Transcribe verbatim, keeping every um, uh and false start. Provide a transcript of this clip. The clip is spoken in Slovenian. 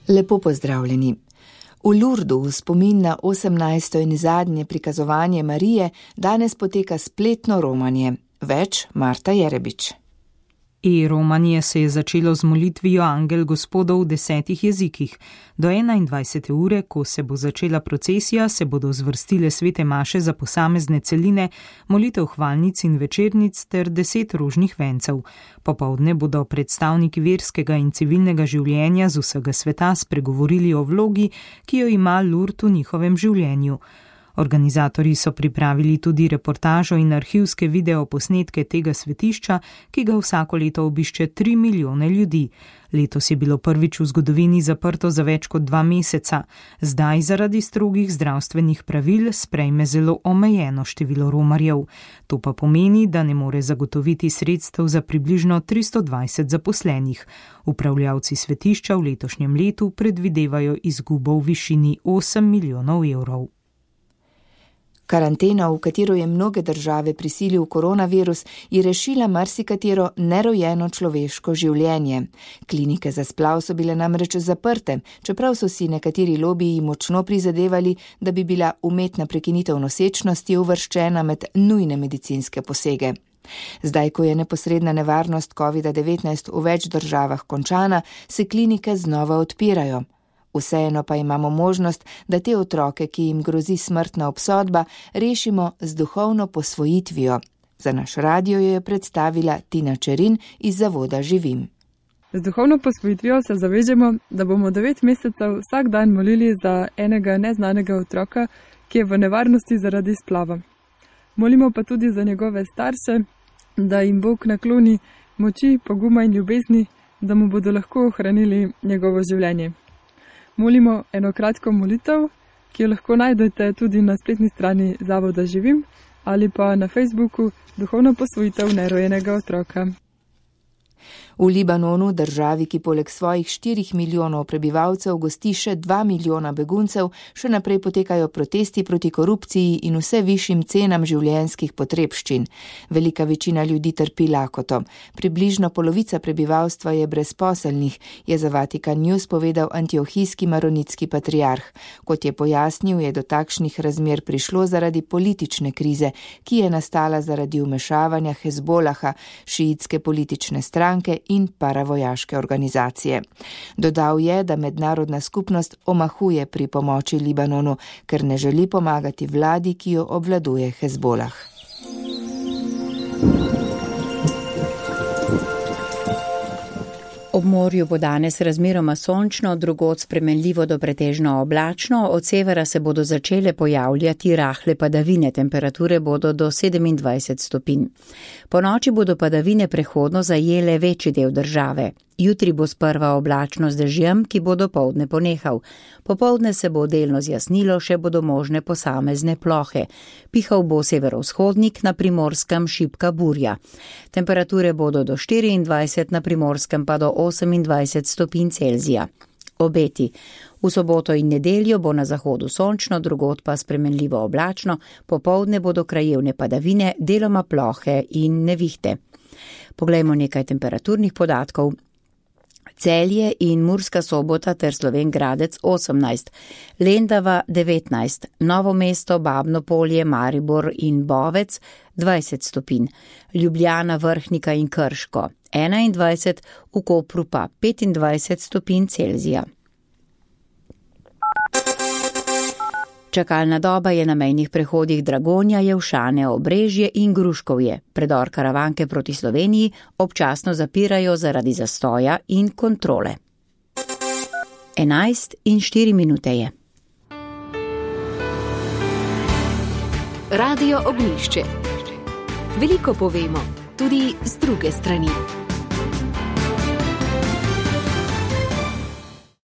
Lepo pozdravljeni. V Lurdu v spomin na osemnajsto in zadnje prikazovanje Marije danes poteka spletno romanje. Več Marta Jerebič. E-romanje se je začelo z molitvijo Angel Gospodov v desetih jezikih. Do enaindvajsete ure, ko se bo začela procesija, se bodo zvrstile svete maše za posamezne celine, molitev hvalnic in večernic ter deset rožnih vencev. Popoldne bodo predstavniki verskega in civilnega življenja z vsega sveta spregovorili o vlogi, ki jo ima Lurd v njihovem življenju. Organizatorji so pripravili tudi reportažo in arhivske videoposnetke tega svetišča, ki ga vsako leto obišče tri milijone ljudi. Letos je bilo prvič v zgodovini zaprto za več kot dva meseca. Zdaj zaradi strogih zdravstvenih pravil sprejme zelo omejeno število romarjev. To pa pomeni, da ne more zagotoviti sredstev za približno tristo dvajset zaposlenih. Upravljavci svetišča v letošnjem letu predvidevajo izgubo v višini osem milijonov evrov. Karantena, v katero je mnoge države prisilil koronavirus, je rešila marsikatero nerojeno človeško življenje. Klinike za splav so bile namreč zaprte, čeprav so si nekateri lobiji močno prizadevali, da bi bila umetna prekinitev nosečnosti uvrščena med nujne medicinske posege. Zdaj, ko je neposredna nevarnost kovida devetnajst v več državah končana, se klinike znova odpirajo. Vseeno pa imamo možnost, da te otroke, ki jim grozi smrtna obsodba, rešimo z duhovno posvojitvijo. Za naš radio jo je predstavila Tina Čerin iz Zavoda Živim. Z duhovno posvojitvijo se zavežemo, da bomo devet mesecev vsak dan molili za enega neznanega otroka, ki je v nevarnosti zaradi splava. Molimo pa tudi za njegove starše, da jim Bog nakloni moči, poguma in ljubezni, da mu bodo lahko ohranili njegovo življenje. Molimo eno kratko molitev, ki jo lahko najdete tudi na spletni strani Zavoda Živim ali pa na Facebooku Duhovna posvojitev nerojenega otroka. V Libanonu, državi, ki poleg svojih štirih milijonov prebivalcev gosti še dva milijona beguncev, še naprej potekajo protesti proti korupciji in vse višjim cenam življenjskih potrebščin. Velika večina ljudi trpi lakoto. Približno polovica prebivalstva je brezposelnih, je za Vatikan News povedal antiohijski maronitski patriarh. Kot je pojasnil, je do takšnih razmer prišlo zaradi politične krize, ki je nastala zaradi vmešavanja Hezbolaha, šiitske politične stranke in paravojaške organizacije. Dodal je, da mednarodna skupnost omahuje pri pomoči Libanonu, ker ne želi pomagati vladi, ki jo obvladuje Hezbolah. Ob morju bo danes razmeroma sončno, drugod spremenljivo do pretežno oblačno, od severa se bodo začele pojavljati rahle padavine, temperature bodo do sedemindvajset stopinj. Po noči bodo padavine prehodno zajele večji del države. Jutri bo sprva oblačno z dežjem, ki bo dopoldne ponehal. Popoldne se bo delno zjasnilo, še bodo možne posamezne plohe. Pihal bo severovzhodnik, na Primorskem šibka burja. Temperature bodo do štiriindvajset, na Primorskem pa do osemindvajset stopinj Celzija. Obeti. V soboto in nedeljo bo na zahodu sončno, drugod pa spremenljivo oblačno, popoldne bodo krajevne padavine, deloma plohe in nevihte. Poglejmo nekaj temperaturnih podatkov. Celje in Murska Sobota ter Slovenj Gradec osemnajst, Lendava devetnajst, Novo mesto, Babno Polje, Maribor in Bovec dvajset stopinj, Ljubljana, Vrhnika in Krško enaindvajset, v Kopru pa petindvajset stopinj Celzija. Čakalna doba je na mejnih prehodih Dragonja, Jelšane, Obrežje in Gruškovje. Predor Karavanke proti Sloveniji občasno zapirajo zaradi zastoja in kontrole. enajst in štiri minute je. Radio Ognjišče. Veliko povemo, tudi z druge strani.